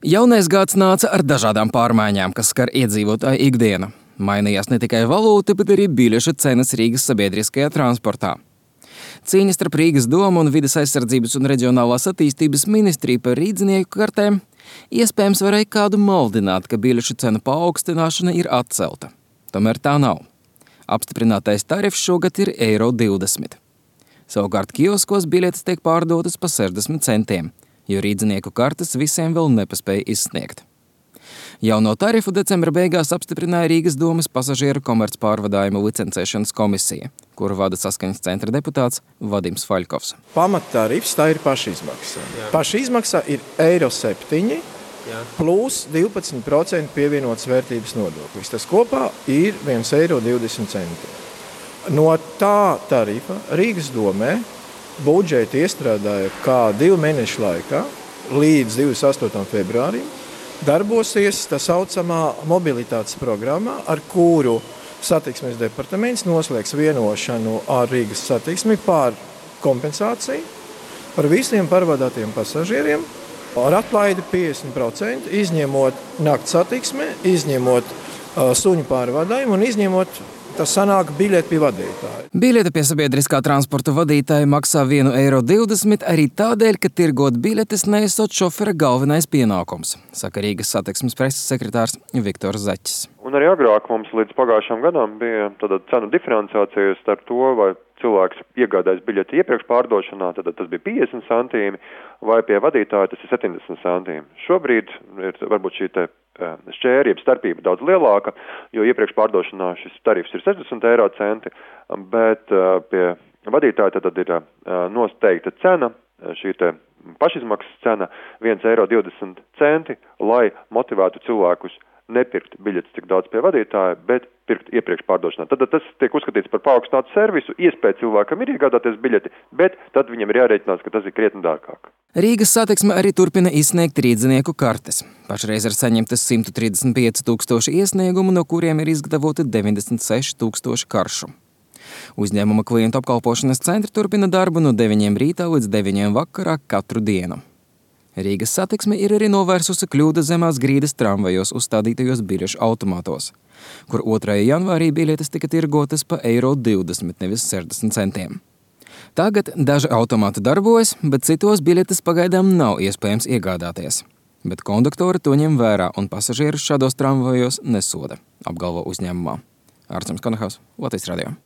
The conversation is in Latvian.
Jaunais gads nāca ar dažādām pārmaiņām, kas skar iedzīvotāju ikdienu. Mainījās ne tikai valūta, bet arī biļešu cenas Rīgas sabiedriskajā transportā. Cīņa starp Rīgas domu un Vides aizsardzības un reģionālās attīstības ministriju par rīdzinieku kartēm iespējams varēja kādu maldināt, ka biļešu cenu paaugstināšana ir atcelta. Tomēr tā nav. Apstiprinātais tarifs šogad ir €20. Savukārt kioskos biļetes tiek pārdotas pa 60 centiem, jo rīdzinieku kartes visiem vēl nepaspēja izsniegt. Jauno tarifu decembra beigās apstiprināja Rīgas domas pasažieru komercpārvadājumu licencēšanas komisija, kuru vada Saskaņas centra deputāts Vadims Faļkovs. Pamattarifs tā ir pašizmaksa. Pašizmaksa ir €7 plus 12% pievienotas vērtības nodoklis. Tas kopā ir €1,20. No tā tarifa Rīgas domē budžetu iestrādāja, kā 2 mēnešu laikā līdz 28. februārim darbosies tā saucamā mobilitātes programma, ar kuru satiksmes departaments noslēgs vienošanu ar Rīgas satiksmi par kompensāciju par visiem pārvadātiem pasažieriem ar atlaidi 50%, izņemot nakts satiksmi, izņemot suņu pārvadājumu un izņemot tas sanāk biļeti pie vadītāja. Biļete pie sabiedriskā transporta vadītāja maksā €1,20 arī tādēļ, ka tirgot biļetes neesot šofera galvenais pienākums, saka Rīgas satiksmes preses sekretārs Viktors Zaķis. Un arī agrāk mums līdz pagājušām gadām bija tāda cenu diferenciācija starp to, vai cilvēks iegādājas biļeti iepriekš pārdošanā, tad tas bija 50 centīmi, vai pie vadītāja tas ir 70 centīmi. Šobrīd ir varbūt šī te šķērjeb starpība daudz lielāka, jo iepriekš pārdošanā šis tarifs ir 60 centi, bet pie vadītāja tad ir noteikta cena, šī te pašizmaksas cena €1,20, lai motivētu cilvēkus nepirkt biļetes tik daudz pie vadītāja, bet pirkt iepriekš pārdošanā. Tad tas tiek uzskatīts par paaugstinātu servisu, iespēja cilvēkam ir iegādāties biļeti, bet tad viņam ir jārēķinās, ka tas ir krietni dārgāk. Rīgas satiksme arī turpina izsniegt rīdzinieku kartes. Pašreiz ir saņemtas 135 000 iesniegumu, no kuriem ir izgatavoti 96 000 karšu. Uzņēmuma klientu apkalpošanas centri turpina darbu no 9 rītā līdz 9 vakarā katru dienu. Rīgas satiksme ir arī novērsusi kļūdas zemās grīdas tramvajos uzstādītajos biļešu automātos, kur 2. janvārī biļetes tika tirgotas pa €20, nevis 60 centiem. Tagad daži automāti darbojas, bet citos biļetes pagaidām nav iespējams iegādāties. Bet konduktori to ņem vērā un pasažierus šādos tramvajos nesoda, apgalvo uzņēmumā. Ārčuns Konahaus, Latvijas radio.